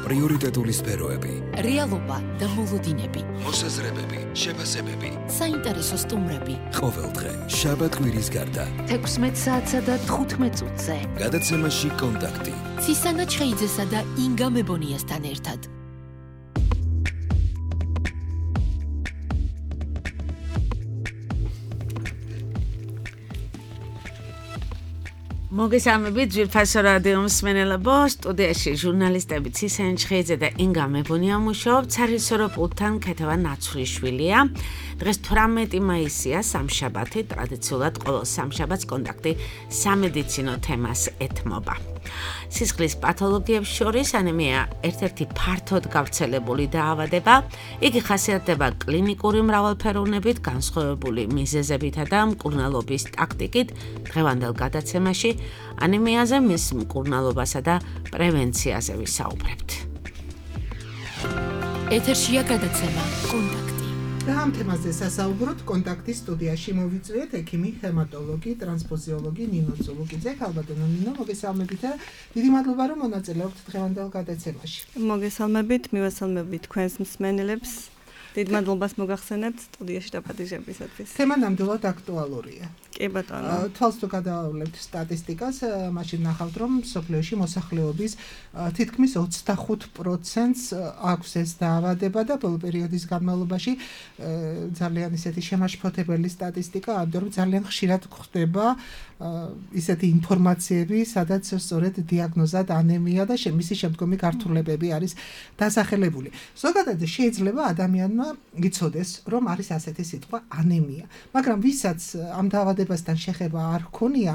პრიორიტეტული სფეროები, რეალობა და მოლოდინები, მოსაზრებები, შეფასებები, საინტერესო სტუმრები. ყოველდღე შაბათ-კვირის გარდა 16 საათსა და 15 წუთზე. გადაცემაში კონტაქტი. ცისანა ჩხეიძესა და ინგა მებონიასთან ერთად. მოგესალმებით ძვირფასო რადიო მსმენელებო, სტუდიაში ჟურნალისტები ცისანა ჩხეიძე და ინგა მებონია მუშაობთ, სარისორო პულტთან ქეთევა ნაცვლიშვილია. დღეს 18 მაისია, სამშაბათი, ტრადიციულად ყოველ სამშაბათს კონტაქტი სამედიცინო თემას ეთმობა. სისხლის პათოლოგიებს შორის ანემია ერთ-ერთი ფართოდ გავრცელებული დაავადება. იგი ხასიათდება კლინიკური მრავალფეროვნებით, განსხვავებული მიზეზებითა და მკურნალობის ტაქტიკით. დღევანდელ გადაცემაში ანემიაზე, მის მკურნალობასა და პრევენციაზე ვისაუბრებთ. ეთერშია გადაცემა კონტაქტი. და ამ თემაზე სასაუბროთ კონტაქტის სტუდიაში მოვიწვიეთ ექიმი, ჰემატოლოგი, ტრანსფუზიოლოგი ნინო ზოლოგიძე. ქალბატონო ნინო, მოგესალმებით და დიდი მადლობა რომ მონაწილეობთ დღევანდელ გადაცემაში. მოგესალმებით, მივესალმებით თქვენს მსმენელებს. დიდ მადლობას მოგახსენებთ სტუდიაში დაპატიჟებისათვის. თემა ნამდვილად აქტუალურია. კი ბატონო. თვალს თუ გადავავლებთ სტატისტიკას, მაშინ ნახავთ რომ მსოფლიოში მოსახლეობის თითქმის 25%-ს აქვს ეს დაავადება და ბოლო პერიოდის განმავლობაში ძალიან ისეთი შემაშფოთებელი სტატისტიკა, ამიტომ რომ ძალიან ხშირად გვხდება ისეთი ინფორმაციები, სადაც სწორედ დიაგნოზად ანემია და მისი შემდგომი გართულებები არის დასახელებული. ზოგადად შეიძლება ადამიანმა იცოდეს, რომ არის ასეთი სიტყვა ანემია, მაგრამ ვისაც ამ დაავადებასთან შეხება არ ჰქონია,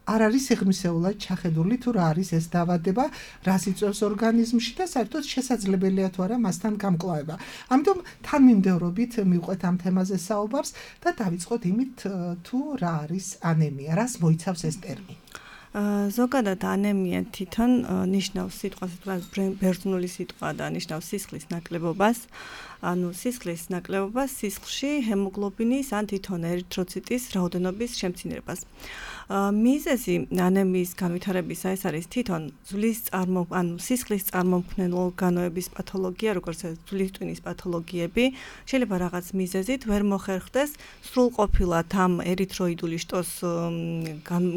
არ არის სიღრმისეულად ჩახედული თუ რა არის ეს დაავადება, რას იწვევს ორგანიზმში და საერთოდ შესაძლებელია თუ არა მასთან გამკლავება. ამიტომ თანმიმდევრობით მივყვეთ ამ თემაზე საუბარს და დავიწყოთ იმით, თუ რა არის ანემია, რას მოიცავს ეს ტერმინი. ზოგადად ანემია თვითონ ნიშნავს სიტყვას, ბერძნული სიტყვა და ნიშნავს სისხლის ნაკლებობას. ანუ სისხლის ნაკლებობას სისხლში ჰემოგლობინის ან თვითონ ერითროციტის რაოდენობის შემცირებას. მიზეზი ანემიის განვითარებისა ეს არის თვითონ სისხლის წარმომქმნელი ორგანოების პათოლოგია, როგორც ძვლის ტვინის პათოლოგიები, შეიძლება რაღაც მიზეზით ვერ მოხერხდეს სრულყოფილად ამ ერითროიდული შტოს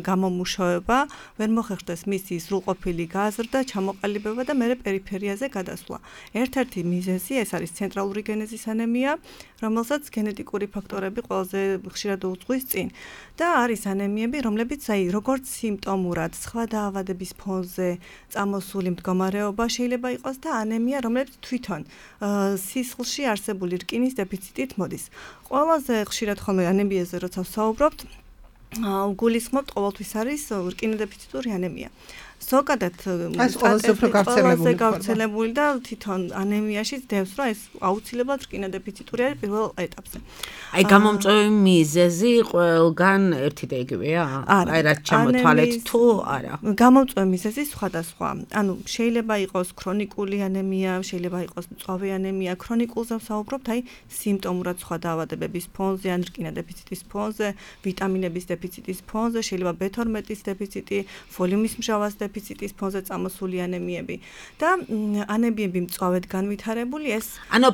გამომუშავება, ვერ მოხერხდეს მისი სრულყოფილი გაზრდა, ჩამოყალიბება და მერე პერიფერიაზე გადასვლა. ერთ-ერთი მიზეზი ეს არის ცენტრალური გენეზის ანემია, რომელსაც გენეტიკური ფაქტორები ყველაზე ხშირად უძღვის წინ. და არის ანემიები, რომლებიც როგორც სიმპტომურად სხვა დაავადების ფონზე წამოსული მდგომარეობა შეიძლება იყოს და ანემია, რომელიც თვითონ სისხლში არსებული რკინის დეფიციტით მოდის. ყველაზე ხშირად ხოლმე ანემიაზე როცა ვსაუბრობთ, გულისხმობთ ყოველთვის არის რკინოდეფიციტური ანემია. ზოგადად ყველაზე გავრცელებული და თვითონ ანემიაში დევს, რომ ეს აუცილებლად რკინოდეფიციტური არის პირველ ეტაპზე. აი გამომწვევი მიზეზი ყველგან ერთი და იგივეა? აი რაც ჩამოთვალეთ თუ არა? გამომწვევი მიზეზი სხვადასხვა. ანუ შეიძლება იყოს ქრონიკული ანემია, შეიძლება იყოს მწვავე ანემია. ქრონიკულზე ვსაუბრობთ, აი სიმპტომურად სხვა დაავადებების ფონზე, ან რკინოდეფიციტის ფონზე, ვიტამინების დეფიციტის ფონზე, შეიძლება B12-ის დეფიციტი, ფოლიუმის მჟავას დეფიციტის ფონზე წამოსული ანემიები და ანემიები მწვავედ განვითარებული ეს ანუ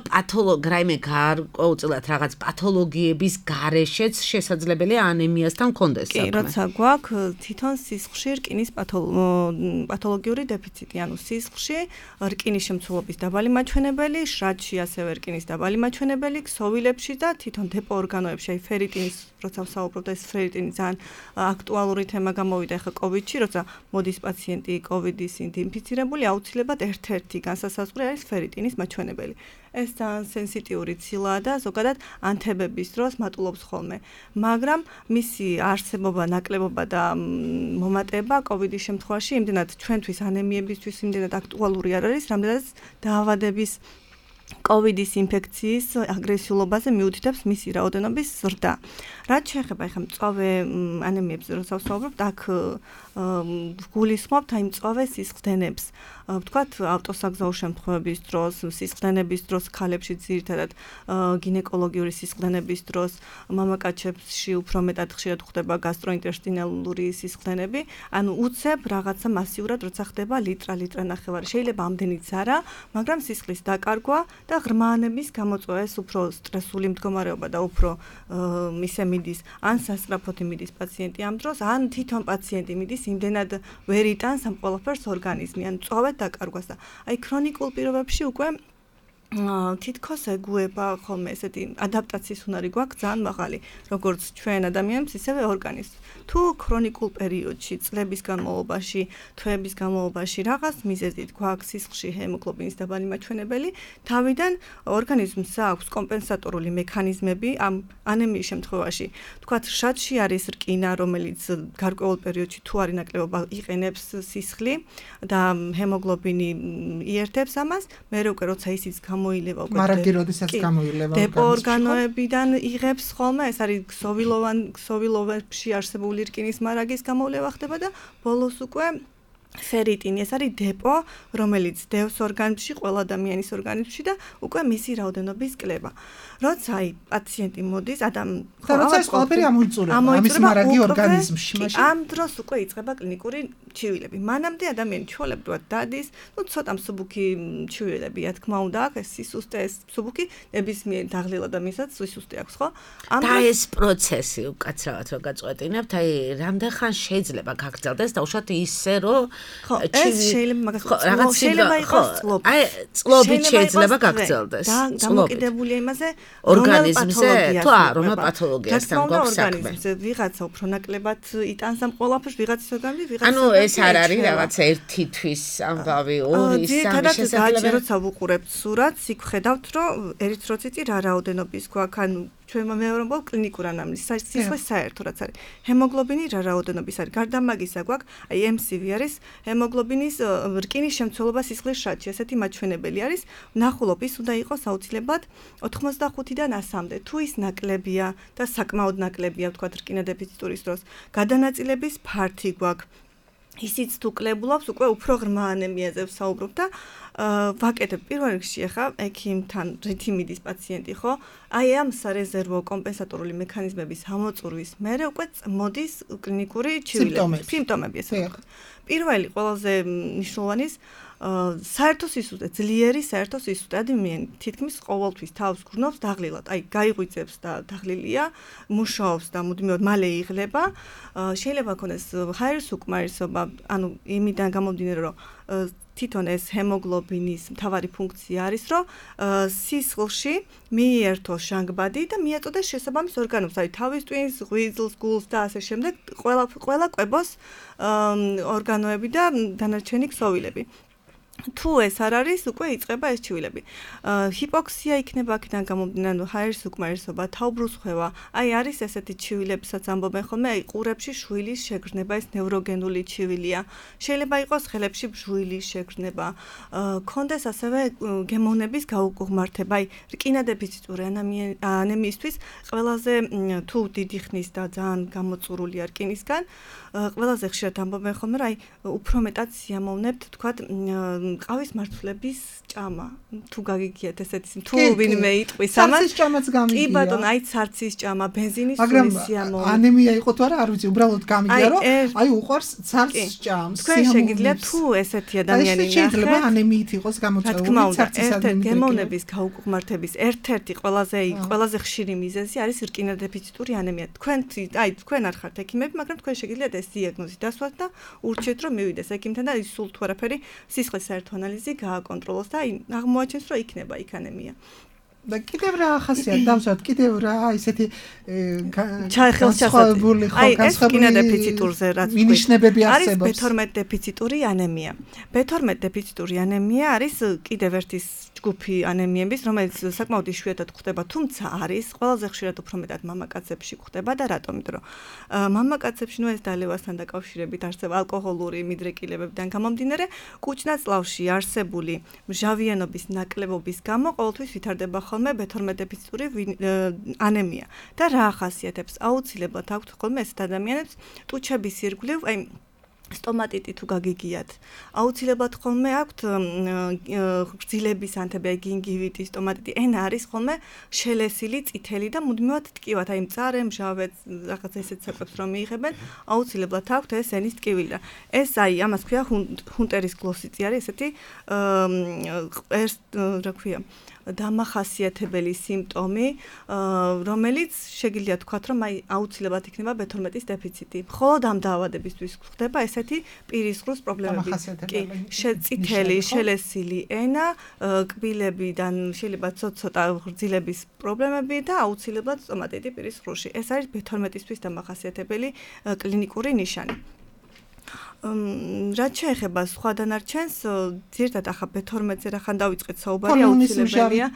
რაიმე გარკვეულწილად რაღაც პათოლოგიების გარეშეც შესაძლებელია ანემიასთან კონდეს საქმე. კი, როცა გვაქვს თვითონ სისხლში რკინის პათოლოგიური დეფიციტი, ანუ სისხლში რკინის შემცველობის დაბალი მაჩვენებელი, შრატში ასევე რკინის დაბალი მაჩვენებელი, ქსოვილებში და თვითონ დეპო ორგანოებში, აი ფერიტინის, როცა ვსაუბრობთ, ეს ფერიტინი ძალიან აქტუალური თემა გამოვიდა ახლა კოვიდში, როცა მოდის პაციენტი კოვიდის ინფიცირებული, აუცილებლად ერთ-ერთი განსასაზღვრი არის ფერიტინის მაჩვენებელი. ეს ძალიან სენსიტიური ცილაა და ზოგადად ანთებების დროს მატულობს ხოლმე. მაგრამ მისი არსებობა, ნაკლებობა და მომატება კოვიდის შემთხვევაში იმდენად ჩვენთვის ანემიებისთვის იმდენად აქტუალური არ არის, რამდენად დაავადების კოვიდის ინფექციის აგრესიულობაზე მიუთითებს მისი რაოდენობის ზრდა. რაც შეეხება ახლა მწვავე ანემიებს, როდესაც ვსაუბრობთ, აქ გულისხმობთ აი მწვავე სისხლდენებს. ვთქვათ, ავტოსაგზაო შემთხვევების დროს, სისხლდენების დროს ქალებში ძირითადად გინეკოლოგიური სისხლდენების დროს, მამაკაცებში უფრო მეტად ხშირად ხდება გასტროინტესტინალური სისხლდენები, ანუ უცებ რაღაცა მასიურად როცა ხდება ლიტრა ნახევარი. შეიძლება ამდენიც არა, მაგრამ სისხლის დაკარგვა და ღრმაანების გამოწვევა ეს უფრო სტრესული მდგომარეობა და უფრო ისე მიდის, ან სასწრაფოდ მიდის პაციენტი ამ დროს, ან თვითონ პაციენტი მიდის იმდენად ვერ იტანს ამ ყველაფერს ორგანიზმი, ან მწვავედ დაკარგვას და აი ქრონიკულ პირობებში უკვე თითქოს ეგუება ხოლმე ესეთი ადაპტაციის უნარი გვაქვს ძალიან მაღალი, როგორც ჩვენ ადამიანებს, ისევე ორგანიზმს. თუ ქრონიკულ პერიოდში, წლების განმავლობაში, თვეების განმავლობაში რაღაც მიზეზით გვაქვს სისხლში ჰემოგლობინის დაბალი მაჩვენებელი, თავიდან ორგანიზმს აქვს კომპენსატორული მექანიზმები ამ ანემიის შემთხვევაში. თქვათ, შატში არის რკინა, რომელიც გარკვეულ პერიოდში თუ არის ნაკლებობა იყენებს სისხლი და ჰემოგლობინი იერთებს ამას, მერე უკვე როცა ისიც გამოილევა უკვე მარაგი როდესაც გამოილევა დეპო ორგანოებიდან იღებს ხოლმე, ეს არის ქსოვილოვებში არსებული რკინის მარაგის გამოვლევა ხდება და ბოლოს უკვე ფერიტინი, ეს არის დეპო, რომელიც დევს ორგანიზმში, ყველა ადამიანის ორგანიზმში და უკვე მისი რაოდენობის კლება. როცა აი პაციენტი მოდის, როცა ეს ყველაფერი ამოიწურება ამის მარაგი ორგანიზმში, მაშინ ამ დროს უკვე იწყება კლინიკური ჩივილები. მანამდე ადამიანი ჩვეულებრივად დადის, ცოტა მსუბუქი ჩივილებია, თქმა უნდა, აქ ეს სისუსტე, ეს მსუბუქი ნებისმიერ დაღლილ ადამიანსაც სისუსტე აქვს, ხო? და ეს პროცესი უკაცრავად რო გაწყვეტინებთ, აი რამდენ ხანს შეიძლება გაგრძელდეს და უშუალოდ ისე რომ ეს შეიძლება მაგას შეიძლება იყოს წლობით. აი წლობით შეიძლება გაგრძელდეს. დამოკიდებულია იმაზე, ორგანიზმზე, თუ რომელ პათოლოგიასთან გვაქვს საქმე. ვიღაცა უფრო ნაკლებად იტანს ამ ყველაფერს, ვიღაცის ორგანიზმი, ვიღაცა ანუ ეს არ არის რაღაცა ერთი თვის ამბავი, ორი, სამი შესაძლებელი. როცა ვუყურებთ სურათს, იქ ხედავთ, რომ ერითროციტი რა რაოდენობის გვაქვს, ანუ ჩვენ მეუბნებთ კლინიკურ ანამნეზს, სისხლის საერთო რაც არის. ჰემოგლობინი რა რაოდენობის არის. გარდა მაგისა გვაქვს, აი MCV არის ჰემოგლობინის რკინის შემცველობა სისხლის შატში, ესეთი მაჩვენებელი არის. ვნახულობ ის უნდა იყოს აუცილებლად 85-დან 100-მდე. თუ ის ნაკლებია და საკმაოდ ნაკლებია, ვთქვათ, რკინა დეფიციტურის დროს, გადანაწილების ფართი გვაქვს. ისიც თუ კლებულობს, უკვე უფრო ღრმა ანემიაზე ვსაუბრობ და ვაკეთებ პირველ რიგში ახლა ექიმთან რითი მიდის პაციენტი, ხო? აი ამ სარეზერვო კომპენსატორული მექანიზმების ამოწურვის მერე უკვე მოდის კლინიკური სიმპტომები, ესე ვთქვათ. პირველი ყველაზე მნიშვნელოვანი საერთო სისუსტე, ძლიერი საერთო სისუსტე. ადამიანი თითქმის ყოველთვის თავს გრძნობს დაღლილად. აი გაიღვიძებს და დაღლილია, მუშაობს და მუდმივად მალე იღლება. შეიძლება ქონდეს ჰაერის უკმარისობა, ანუ იმიდან გამომდინარე, რომ თვითონ ეს ჰემოგლობინის მთავარი ფუნქცია არის, რომ სისხლში მიიერთოს ჟანგბადი და მიაწოდოს შესაბამის ორგანოს, აი თავის ტვინს, ღვიძლს, გულს და ასე შემდეგ, ყველა კვებოს ორგანოები და დანარჩენი ქსოვილები. თუ ეს არ არის, უკვე იწყება ეს ჩივილები. ჰიპოქსია იქნება აქედან გამომდინარე, ჰაერის უკმარისობა, თაუბრუსხვევა. აი არის ესეთი ჩივილებსაც ამბობენ ხოლმე, აი ყურებში შვილის შეგრძნება, ეს ნევროგენული ჩივილია. შეიძლება იყოს ხელებში ბჟუილის შეგრძნება. კონდეს ასევე გემოვნების გაუღმართება. აი რკინა დეფიციტური ანემიისთვის ყველაზე თუ დიდი ხნის და ძალიან გამოწურულია რკინისგან, ყველაზე ხშირად ამბობენ ხოლმე, რომ აი უფრო მეტად სიამოვნებთ, თქვათ, ყავის მართლების ჭამა. თუ გაგიგიათ ესეთი, თუ ვინმე იტყვის ამას. ცარცის ჭამაც გამიგია. კი ბატონო, აი ცარცის ჭამა, ბენზინის სულის სიამოვნება. მაგრამ ანემია იყო თუ არა, არ ვიცი, უბრალოდ გამიგია, რომ აი უყვარს ცარცს ჭამს. თქვენ შეგიძლიათ თუ ესეთი ადამიანი ნახეთ. შეიძლება ანემიით იყოს გამოწვეული ცარცის ანემია. გემოვნების გაუღმართების ერთ-ერთი ყველაზე ხშირი მიზეზი არის რკინა დეფიციტური ანემია. თქვენ არ ხართ ექიმები, მაგრამ თქვენ შეგიძლიათ ეს დიაგნოზი დასვათ და ურჩიეთ, რომ მივიდეს ექიმთან და ის სულ თუ არაფერი სისხლის საერთო ანალიზი გააკონტროლოს და აი აღმოაჩენს, რომ იქნება იქ ანემია. და კიდევ რა ახასიათებს დავსვათ კიდევ რა ისეთი განსხვავებული განსხვავებული დეფიციტურზე რაც მინიშნებები არსებობს. არის B12 დეფიციტური ანემია. B12 დეფიციტური ანემია არის კიდევ ერთი ჯგუფი ანემიების, რომელიც საკმაოდ იშვიათად გვხდება, თუმცა არის ყველაზე ხშირად უფრო მეტად მამაკაცებში გვხდება და რატომ? იმიტომ რომ მამაკაცებში ეს დალევასთან დაკავშირებით არსება ალკოჰოლური მიდრეკილებებიდან გამომდინარე, კუჭნაწლავში არსებული მჟავიანობის ნაკლებობის გამო ყოველთვის ვითარდება ხოლმე B12 დეფიციტური ანემია. და რა ახასიათებს? აუცილებლად აქვთ ხოლმე ესეთ ადამიანებს ტუჩების ირგვლივ, აი სტომატიტი თუ გაგიგიათ. აუცილებლად ხოლმე აქვთ გრძილების ანთები, გინგივიტი, სტომატიტი, ენა არის ხოლმე შელესილი, წითელი და მუდმივად ტკივათ, აი მწარე, მჟავე, რაღაც ესეთ საკვებს რომ მიიღებენ, აუცილებლად აქვთ ეს ენის ტკივილი და ეს აი ამას ქვია ჰუნტერის გლოსიტი არის ესეთი რა ქვია დამახასიათებელი სიმპტომი, რომელიც შეგიძლია თქვათ, რომ აი აუცილებლად იქნება B12-ის დეფიციტი. მხოლოდ ამ დაავადებისთვის ხდება ესეთი პირისყრუს პრობლემები. კი, წითელი, შელესილი ენა, კბილებიდან შეიძლება ცოტა გრძილების პრობლემები და აუცილებლად სტომატიტი პირისყრუში. ეს არის B12-ისთვის დამახასიათებელი კლინიკური ნიშანი. რაც შეეხება სხვა დანარჩენს, ზირთად ახლა B12-ზე რახან დავიწყეთ საუბარი, აუცილებელია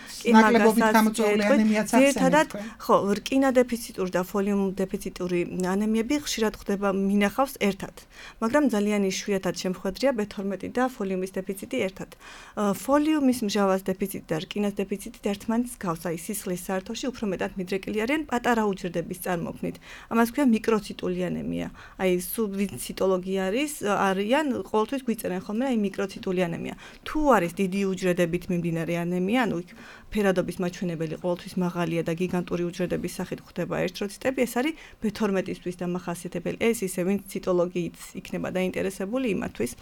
ზირთადად, ხო, რკინა დეფიციტური და ფოლიუმ დეფიციტური ანემიები ხშირად ხდება მინახავს ერთად, მაგრამ ძალიან იშვიათად შემხვედრია B12 და ფოლიუმის დეფიციტი ერთად. ფოლიუმის მჟავას დეფიციტი და რკინას დეფიციტი ერთმანეთს გავს, აი სისხლის საერთოში უფრო მეტად მიდრეკილი არიან პატარა უჯრედების წარმოქმნით. ამას ქვია მიკროციტული ანემია. აი სუბციტოლოგი არიან ყოველთვის გვიწერენ ხოლმე აი მიკროციტული ანემია. თუ არის დიდი უჯრედებით მიმდინარე ანემია, ანუ იქ ფერადობის მაჩვენებელი ყოველთვის მაღალია და გიგანტური უჯრედების სახით ხდება ერითროციტები, ეს არის B12-ისთვის დამახასიათებელი. ეს ისე ვინც ციტოლოგიით იქნება დაინტერესებული იმათვის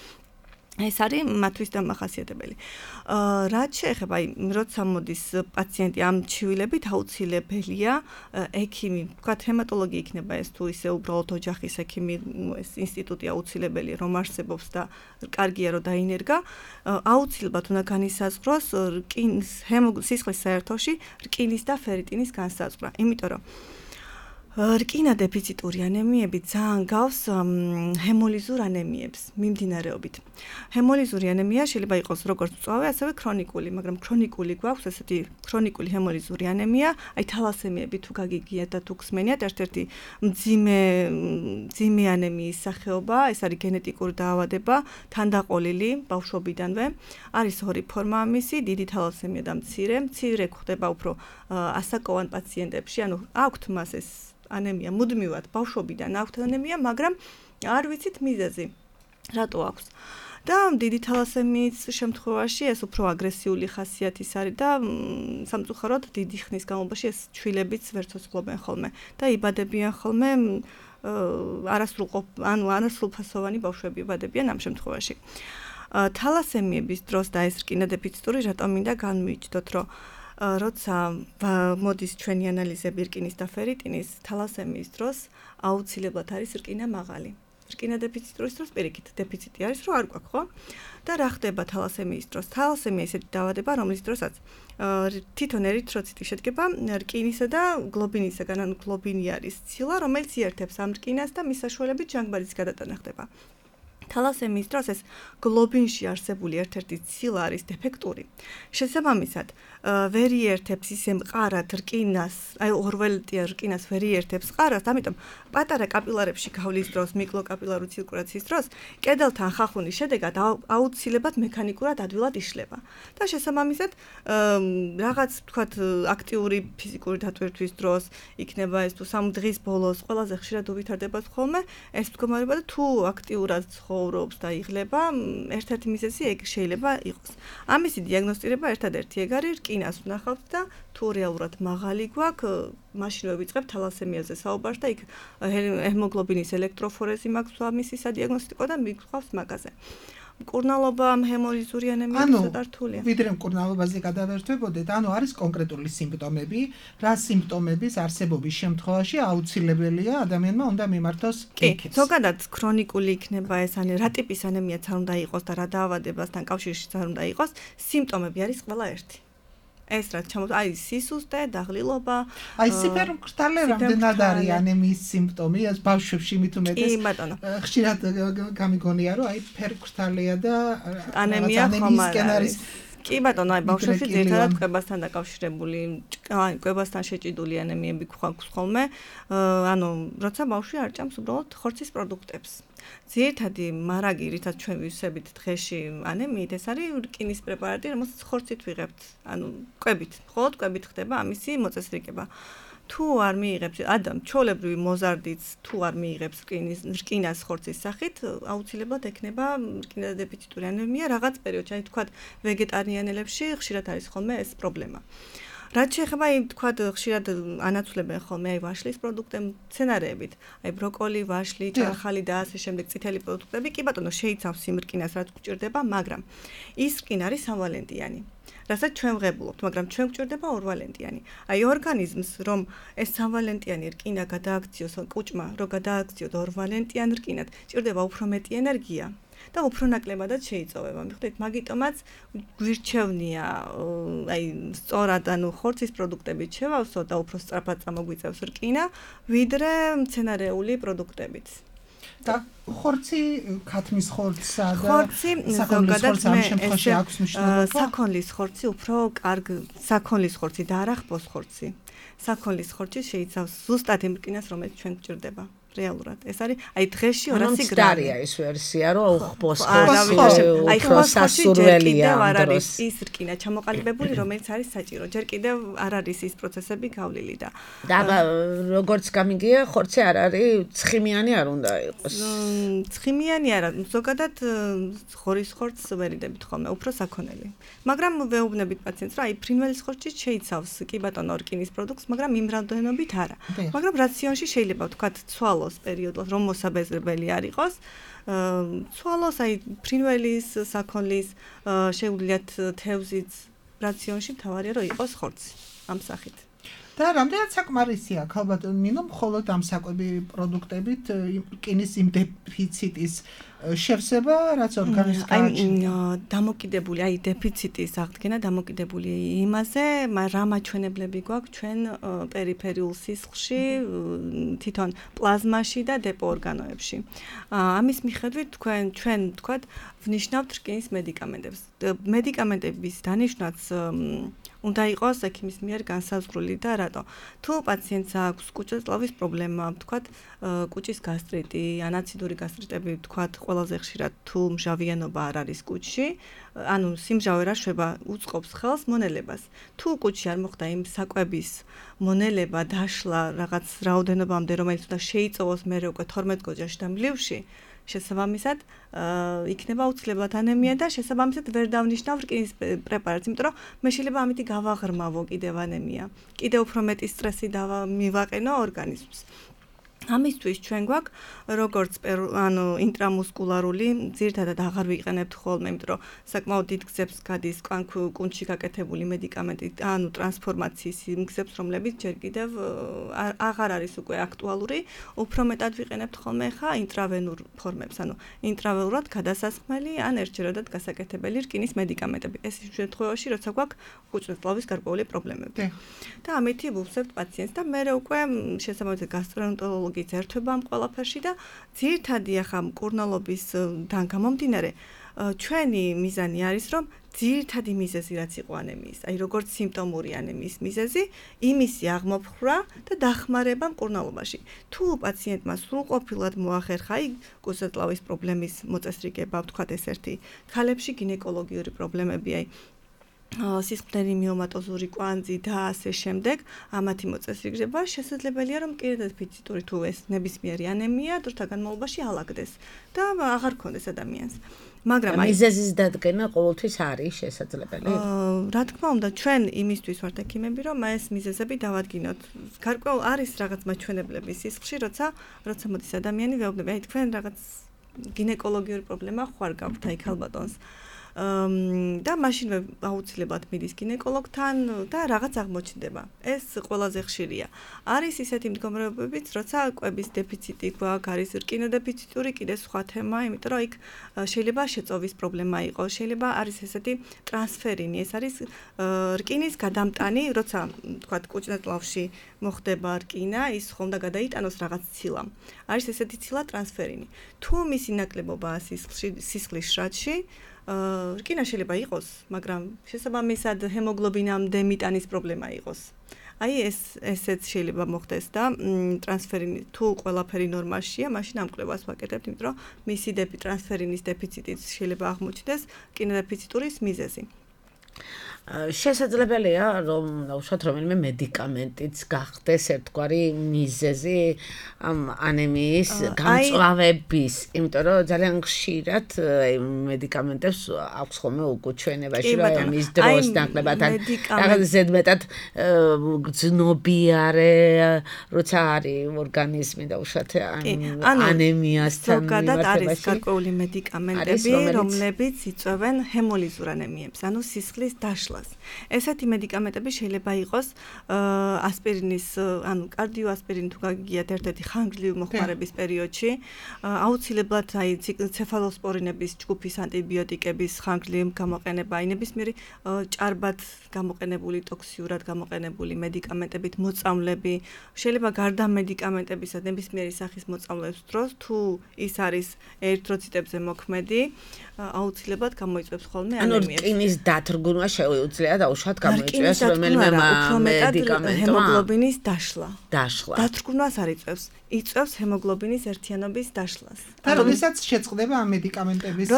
ეს არის მათთვის დამახასიათებელი. რაც შეეხება აი როცა მოდის პაციენტი ამ ჩივილებით აუცილებელია ექიმი, ვთქვათ ჰემატოლოგი იქნება ეს თუ ისე უბრალოდ ოჯახის ექიმი, ეს ინსტიტუტი აუცილებელი რომ არსებობს და კარგია რომ დაინერგა, აუცილებლად უნდა განისაზღვროს სისხლის საერთოში რკინის და ფერიტინის განსაზღვრა. იმიტომ რომ რკინა დეფიციტური ანემიები ძალიან გავს ჰემოლიზურ ანემიებს მიმდინარეობით. ჰემოლიზური ანემია შეიძლება იყოს როგორც მწვავე, ასევე ქრონიკული, მაგრამ ქრონიკული გვაქვს ესეთი ქრონიკული ჰემოლიზური ანემია, აი თალასემიები თუ გაგიგიათ და თუ გსმენიათ, ერთ-ერთი მძიმე ანემიის სახეობა, ეს არის გენეტიკური დაავადება, თანდაყოლილი ბავშვობიდანვე. არის ორი ფორმა ამისი, დიდი თალასემია და მცირე. მცირე გვხდება უფრო ასაკოვან პაციენტებში, ანუ აქვთ მას ეს ანემია მუდმივად ბავშვობიდან აქვთ ანემია, მაგრამ არ ვიცით მიზეზი. რატო აქვს? და დიდი თალასემიის შემთხვევაში ეს უფრო აგრესიული ხასიათის არის და სამწუხაროდ დიდი ხნის განმავლობაში ეს ჩვილებიც ვერ ცოცხლობენ ხოლმე და იბადებიან ხოლმე არასრულფასოვანი ბავშვები იბადებიან ამ შემთხვევაში. თალასემიების დროს და ეს რკინა დეფიციტური რატომ მინდა განმიჯდოთ, რომ როცა მოდის ჩვენი ანალიზები რკინის და ფერიტინის, თალასემიის დროს აუცილებლად არის რკინა მაღალი. რკინა დეფიციტურის დროს პირიქით დეფიციტი არის, რომ არ გვაქვს, ხო? და რა ხდება თალასემიის დროს? თალასემია ისეთი დაავადება, რომლის დროსაც თვითონ ერითროციტი შედგება რკინისა და გლობინისაგან, ანუ გლობინი არის ცილა, რომელიც იერთებს ამ რკინას და მის საშუალებით ჟანგბადის გადატანა ხდება. თალასემიის დროს ეს გლობინში არსებული ერთ-ერთი ცილა არის დეფექტური. შესაბამისად, ვერ იერთებს ისე მყარად რკინას, აი ორველტია რკინას ვერ იერთებს მყარად, ამიტომ პატარა კაპილარებში გავლის დროს, მიკლოკაპილარული ცირკულაციის დროს, კედელთან ხახუნის შედეგად აუცილებლად მექანიკურად ადვილად იშლება. და შესაბამისად, რაღაც ვთქვათ აქტიური ფიზიკური დატვირთვის დროს იქნება ეს თუ სამ დღის ბოლოს ყველაზე ხშირად უვითარდება ხოლმე ეს მდგომარეობა და თუ აქტიურად ცხოვრობს და იღლება, ერთ-ერთი მიზეზი ეგ შეიძლება იყოს. ამისი დიაგნოსტირება ერთადერთი ეგ არის რკინას ვნახავთ და თუ რეალურად მაღალი გვაქვს, მაშინვე ვიწყებთ თალასემიაზე საუბარს და იქ ჰემოგლობინის ელექტროფორეზი მაქვს ამისი სადიაგნოსტიკო და მიგხვავს მაგაზე. მკურნალობა ჰემოლიზური ანემიით ცოტა რთულია. ვიდრე მკურნალობაზე გადავერთვებოდეთ, ანუ არის კონკრეტული სიმპტომები, რა სიმპტომების არსებობის შემთხვევაში აუცილებელია ადამიანმა უნდა მიმართოს ექიმს. ზოგადად ქრონიკული იქნება ეს, ან რა ტიპის ანემიაც არ უნდა იყოს და რა დაავადებასთან კავშირშიც არ უნდა იყოს, სიმპტომები არის ყველა ერთი. ეს რაც ჩამოთვლა, აი სისუსტე, დაღლილობა. აი სიფერმკრთალე რამდენად არის ანემიის სიმპტომი, ეს ბავშვებში მით უმეტეს. კი, ბატონო. ხშირად გამიგონია, რომ აი ფერმკრთალია და ანემია ხომ არის. კი ბატონო, აი ბავშვებში ძირითადად კვებასთან დაკავშირებული, აი კვებასთან შეჭიდული ანემიები გვაქვს ხოლმე. ანუ როცა ბავშვი არ ჭამს უბრალოდ ხორცის პროდუქტებს. ძირითადი მარაგი, რითაც ჩვენ ვივსებით დღეში ანემიით, ეს არის რკინის პრეპარატი, რომელსაც ხორცით ვიღებთ. ანუ კვებით, მხოლოდ კვებით ხდება ამისი მოწესრიგება. თუ არ მიიღებს ჩვეულებრივი მოზარდიც თუ არ მიიღებს რკინას ხორცის სახით, აუცილებლად ექნება რკინადეფიციტური ანემია რაღაც პერიოდში, აი თქვათ ვეგეტარიანელებში ხშირად არის ხოლმე ეს პრობლემა. რაც შეეხება აი თქვათ ხშირად ანაცვლებენ ხოლმე აი ვაშლის პროდუქტები, მცენარეებით, აი ბროკოლი, ვაშლი, ჭარხალი და ასე შემდეგ წითელი პროდუქტები, კი ბატონო შეიცავს იმ რკინას, რაც გვჭირდება, მაგრამ ის რკინა არის სამვალენტიანი. რასაც ჩვენ ვღებულობთ, მაგრამ ჩვენ გვჭირდება ორვალენტიანი. აი ორგანიზმს რომ ეს სამვალენტიანი რკინა გადააქციოს კუჭმა, რომ გადააქციოს ორვალენტიან რკინად, ჭირდება უფრო მეტი ენერგია და უფრო ნაკლებადაც შეიწოვება. მიხვდით, მაგიტომაც გვირჩევნია აი სწორად ანუ ხორცის პროდუქტებით შევავსო და უფრო სწრაფად წამოგვიწევს რკინა, ვიდრე მცენარეული პროდუქტებით. და ხორცი, ქათმის ხორცსა და ხორცი ზოგადად ამ შემთხვევაში აქვს მნიშვნელობა. საქონლის ხორცი უფრო კარგ საქონლის ხორცი და არა ხბოს ხორცი. საქონლის ხორცი შეიცავს ზუსტად იმ რკინას, რომელიც ჩვენ გვჭირდება. რეალურად. ეს არის აი დღეში 200 გრამია ეს ვერსია, რომ ხბოს ხორცი, აი ხბოს ხორცი ჯერ კიდევ არ არის ის რკინა ჩამოყალიბებული, რომელიც არის საჭირო. ჯერ კიდევ არ არის ის პროცესები გავლილი და როგორც გამიგია, ხორცი არ არის ცხიმიანი არ უნდა იყოს. ცხიმიანი არა, ზოგადად ღორის ხორცს ვერიდებით ხოლმე, უფრო საქონელი. მაგრამ ვეუბნებით პაციენტს, რომ აი ფრინველის ხორცი შეიცავს კი ბატონო რკინის პროდუქტს, მაგრამ იმ რაოდენობით არა. მაგრამ რაციონში შეიძლება ვთქვათ ცვალოს პერიოდს, რომ მოსაბეზრებელი არ იყოს, ცვალოს აი ფრინველის, საქონლის, შეუძლიათ თევზის რაციონში მთავარია რომ იყოს ხორცი ამ სახით. და რამდენად საკმარისია ალბათ ნინო მხოლოდ ამ საკვები პროდუქტებით რკინის იმ დეფიციტის შევსება, რაც ორგანიზმს გააჩნია. დამოკიდებული, აი დეფიციტის აღდგენა დამოკიდებული იმაზე, რა მაჩვენებლები გვაქვს ჩვენ პერიფერიულ სისხლში, თვითონ პლაზმაში და დეპო ორგანოებში. ამის მიხედვით ჩვენ თქვათ ვნიშნავთ რკინის მედიკამენტებს. მედიკამენტების დანიშვნაც უნდა იყოს ექიმის მიერ განსაზღვრული და რატო? თუ პაციენტს აქვს კუჭეწლავის პრობლემა, ვთქვათ, კუჭის გასტრიტი, ანაციდური გასტრიტები, ვთქვათ, ყველაზე ხშირად თუ მჟავიანობა არ არის კუჭში, ანუ სიმჟავე რა შვება უწყობს ხელს მონელებას. თუ კუჭში არ მოხდა იმ საკვების მონელება, დაშლა რაღაც რაოდენობამდე, რომელიც უნდა შეიწოვოს მერე უკვე 12 გოჯაში და მლივში, შესაბამისად იქნება აუცილებლად ანემია და შესაბამისად ვერ დავნიშნავ რკინის პრეპარატს, იმიტომ რომ მე შეიძლება ამითი გავაღრმავო კიდევ ანემია. კიდევ უფრო მეტი სტრესი მივაყენო ორგანიზმს. ამისთვის ჩვენ გვაქვს როგორც ანუ ინტრამუსკულარული, ძირითადად აღარ ვიყენებთ ხოლმე, იმიტომ რომ საკმაოდ დიდ გზებს გადის კუნთში გაკეთებული მედიკამენტი, ანუ ტრანსფორმაციის იმ გზებს, რომლებიც ჯერ კიდევ აღარ არის უკვე აქტუალური, უფრო მეტად ვიყენებთ ხოლმე ხა ინტრავენურ ფორმებს, ანუ ინტრავენურად გადასასხმელი ან ერთჯერადად გასაკეთებელი რკინის მედიკამენტები. ეს იმ შემთხვევაში, როცა გვაქვს კუჭეწლავის გარკვეული პრობლემები. და ამითი ვუხსებთ პაციენტს და მე უკვე შესაბამისად გასტროენტეროლოგი ერთვება ამ ყველაფერში და ძირითადი ახლა მკურნალობის დან გამომდინარე ჩვენი მიზანი არის რომ ძირითადი მიზეზი რაც იყო ანემიის, აი როგორც სიმპტომური ანემიის მიზეზი, იმისი აღმოფხვრა და დახმარება მკურნალობაში. თუ პაციენტმა სრულყოფილად მოახერხა აი კუჭეწლავის პრობლემის მოწესრიგება, ვთქვათ ეს ერთი, ქალებში გინეკოლოგიური პრობლემები, აი სისხლდენი მიომატოზური კვანძი და ასე შემდეგ, ამათი მოწესრიგება შესაძლებელია რომ რკინადეფიციტური თუ ეს ნებისმიერი ანემია დროთა განმავლობაში ალაგდეს და აღარ ქონდეს ადამიანს. მაგრამ აი მიზეზის დადგენა ყოველთვის არის შესაძლებელი? რა თქმა უნდა, ჩვენ იმისთვის ვართ ექიმები, რომ ეს მიზეზები დავადგინოთ. გარკვეულ არის რაღაც მაჩვენებლები სისხლში, როცა მოდის ადამიანი ვეუბნები, აი თქვენ რაღაც გინეკოლოგიური პრობლემა ხوار გაქვთ აი ქალბატონს. და მაშინვე აუცილებლად მიდის გინეკოლოგთან და რაღაც აღმოჩნდება. ეს ყველაზე ხშირია. არის ისეთი მდგომარეობებიც, როცა კვების დეფიციტი გვაქვს, არის რკინა დეფიციტური, კიდე სხვა თემა, იმიტომ რომ იქ შეიძლება შეწოვის პრობლემა იყოს, შეიძლება არის ესეთი ტრანსფერინი, ეს არის რკინის გადამტანი, როცა თქვათ კუჭნედლავში მოხდება რკინა, ის ხომ და გადაიტანოს რაღაც ცილამ. არის ესეთი ცილა ტრანსფერინი. თუ მისი ნაკლებობაა სისხლის შრატში, რკინა შეიძლება იყოს, მაგრამ შესაბამისად ჰემოგლობინამდე მიტანის პრობლემა იყოს. აი ესეც შეიძლება მოხდეს და ტრანსფერინი თუ ყველაფერი ნორმალშია, მაშინ ამ კვლევას ვაკეთებთ, იმიტომ რომ მისი ტრანსფერინის დეფიციტიც შეიძლება აღმოჩნდეს რკინა დეფიციტურის მიზეზი. შესაძლებელია რომ უშუალოდ რომელიმე მედიკამენტიც გახდეს ერთგვარი მიზეზი ამ ანემიის გამწვავების, იმიტომ რომ ძალიან ხშირად მედიკამენტებს აქვს ხოლმე უკუჩვენებაში რომ ამის დროს ნაკლებად რაღაც ზედმეტად გრძნობიარე როცა არის ორგანიზმი და უშუალოდ ანემიასთან ზოგადად არის გარკვეული მედიკამენტები, რომლებიც იწვევენ ჰემოლიზურ ანემიებს, ანუ სისხლის დაშლას. ესეთი მედიკამენტები შეიძლება იყოს ასპირინის, ანუ კარდიოასპირინი თუ გაგიგიათ ერთ-ერთი ხანგრძლივი მოხმარების პერიოდში, აუცილებლად აი ცეფალოსპორინების ჯგუფის ანტიბიოტიკების ხანგრძლივი გამოყენება, აი ნებისმიერი ჭარბად გამოყენებული, ტოქსიურად გამოყენებული მედიკამენტებით მოწამლები, შეიძლება გარდა მედიკამენტებისა ნებისმიერი სახის მოწამლების დროს, თუ ის არის ერითროციტებზე მოქმედი, აუცილებლად გამოიწვევს ხოლმე ანემიას. ანუ რკინის დათრგუნვა შეუძლია დაუშვათ გამოიწვიოს რომელიმე მედიკამენტმა ჰემოგლობინის დაშლა. დათრგუნვას არ იწვევს. იწვევს ჰემოგლობინის ერთიანობის დაშლას. და როდესაც შეწყდება ამ მედიკამენტების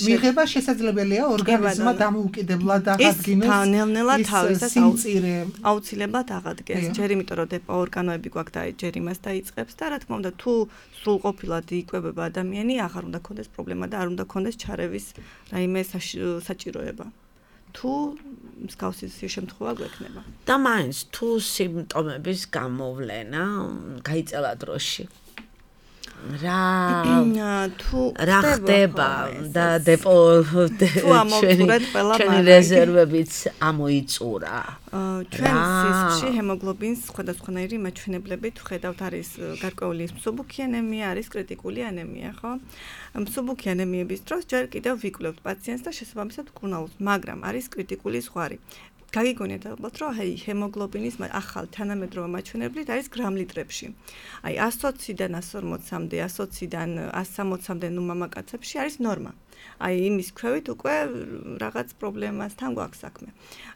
მიღება, შესაძლებელია ორგანიზმმა დამოუკიდებლად აღადგინოს სიმწირე. აუცილებლად აღადგენს. ჯერ იმიტომ რომ დეპო ორგანოები გვაქვს და ჯერ იმას დაიწყებს და რა თქმა უნდა თუ სრულყოფილად იკვებება ადამიანი, აღარ უნდა ქონდეს პრობლემა და არ უნდა ქონდეს ჩარევის რაიმე საჭიროება. თუ მსგავსი შემთხვევა გვექნება. და მაინც თუ სიმპტომების გამოვლენა გაიწელა დროში. რა ხდება და დეპო ჩვენი რეზერვებიც ამოიწურა. ჩვენ სისხლში ჰემოგლობინის სხვადასხვანაირი მაჩვენებლები თუ ხედავთ, არის გარკვეული მსუბუქი ანემია, არის კრიტიკული ანემია, ხო? მსუბუქი ანემიების დროს ჯერ კიდევ ვიკვლევთ პაციენტს და შესაბამისად ვკურნალობთ, მაგრამ არის კრიტიკული ზღვარი. გაგიგონიათ ალბათ, რომ აი ჰემოგლობინის ახალ თანამედროვე მაჩვენებლით არის გრამ-ლიტრებში. აი 120-დან 140-მდე, 120-დან 160-მდე ნუ მამაკაცებში არის ნორმა. აი იმის ქვევით უკვე რაღაც პრობლემასთან გვაქვს საქმე.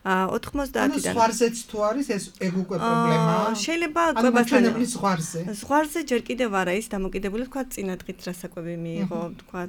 90-დან ზღვარზეც თუ არის ეს ეგ უკვე პრობლემაა. შეიძლება მაჩვენებლის ზღვარზე. ზღვარზე ჯერ კიდევ არა ის დამოკიდებული, თქვა წინადღით რა საკვები მიიღო, თქვა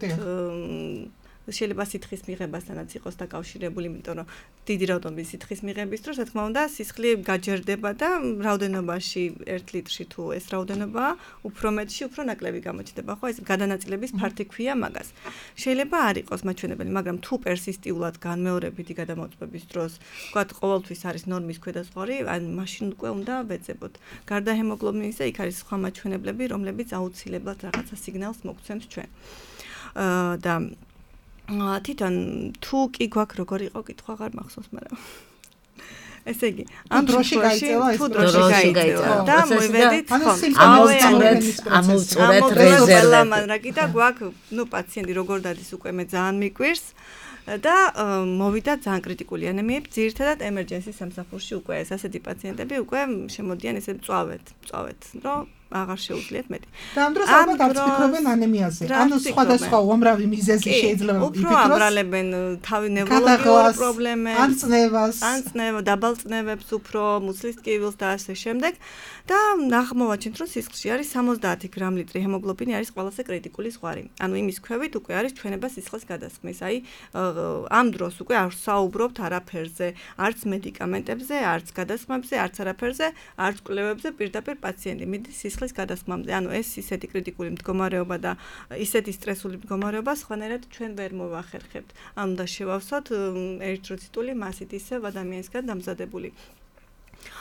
შეიძლება სითხის მიღებასთანაც იყოს დაკავშირებული, იმიტომ რომ დიდი რაოდენობის სითხის მიღების დროს, რა თქმა უნდა, სისხლი გაჯერდება და რაოდენობაში 1 ლიტრში თუ ეს რაოდენობაა, უფრო მეტში, უფრო ნაკლები გამოჩნდება, ხო? ეს გადანაწილების ფართი ქვია მაგას. შეიძლება არ იყოს მაჩვენებელი, მაგრამ თუ პერსისტიულად განმეორებითი გადამოწმების დროს, ვთქვათ, ყოველთვის არის ნორმის ქვედაზღვარი, ან მაშინ უკვე უნდა ვეძებოთ. გარდა ჰემოგლობინისა, იქ არის სხვა მაჩვენებლები, რომლებიც აუცილებლად რაღაცა სიგნალს მოგცემს ჩვენ. და თვითონ თუ კი გვაქვს როგორ იყო კითხვა აღარ მახსოვს, მაგრამ ესე იგი, ამ დროში გაიწევა და მოვიდეთ ამოვწურეთ რეზერვები და გვაქვს, ნუ პაციენტი როგორ დადის უკვე მე ძალიან მიკვირს და მოვიდა ძალიან კრიტიკული ანემიები, ძირითადად ემერჯენსის სამსახურში უკვე ეს ასეთი პაციენტები უკვე შემოდიან ესე მწვავედ, რომ აღარ შეუძლიათ მეტი. და ამ დროს ალბათ არც ფიქრობენ ანემიაზე. ანუ სხვადასხვა უამრავი მიზეზი შეიძლება იფიქროს. უფრო აბრალებენ თავი ნევროლოგიურ პრობლემებს, ან წნევა, დაბალწნევებს, უფრო მუცლის ტკივილს და ასე შემდეგ. და აღმოვაჩინეთ, რომ სისხლში არის 70 გრამ-ლიტრი ჰემოგლობინი არის ყველაზე კრიტიკული ზღვარი. ანუ იმის ქვევით უკვე არის ჩვენება სისხლის გადასხმის. აი ამ დროს უკვე არ საუბრობთ არაფერზე, არც მედიკამენტებზე, არც გადასხმებზე, არც არაფერზე, არც კვლევებზე, პირდაპირ პაციენტი მიდის სისხლის გადასხმამდე. ანუ ეს ისეთი კრიტიკული მდგომარეობა და ისეთი სტრესული მდგომარეობა სხვანაირად ჩვენ ვერ მოვახერხებთ. ანუ და შევავსოთ ერითროციტული მასით ისევ ადამიანისგან დამზადებული.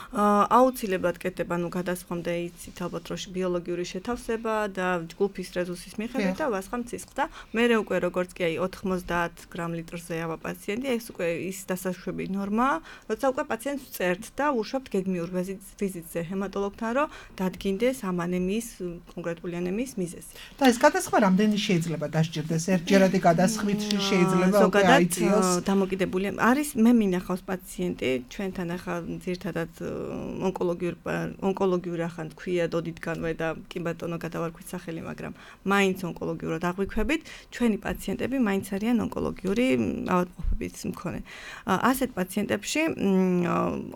აუცილებლად კეთდება, გადასხმამდე იცით ალბათ რომ ბიოლოგიური შეთავსება და ჯგუფის რეზუსის მიხედვით და ვასხამ ცისხლს და მერე უკვე როგორც კი 90 გრამ-ლიტრზე ავა პაციენტი, ეს უკვე ის დასაშვები ნორმაა, როცა უკვე პაციენტს ვწერთ და უშვებთ გეგმიურ ვიზიტზე ჰემატოლოგთან, რომ დადგინდეს ამ ანემიის კონკრეტული ანემიის მიზეზი. და ეს გადასხმა რამდენი შეიძლება დასჭირდეს? ერთჯერადი გადასხმით შეიძლება უკვე აიწიოს? დამოკიდებული არის მე მინახავს პაციენტი ჩვენთან ახლა ძირთადად ონკოლოგიური ახან თქვია დოდითგანვე და კი ბატონო გადავარქვით სახელი, მაგრამ მაინც ონკოლოგიურად აღვიქვებით, ჩვენი პაციენტები მაინც არიან ონკოლოგიური ავადმყოფობის მქონე. ასეთ პაციენტებში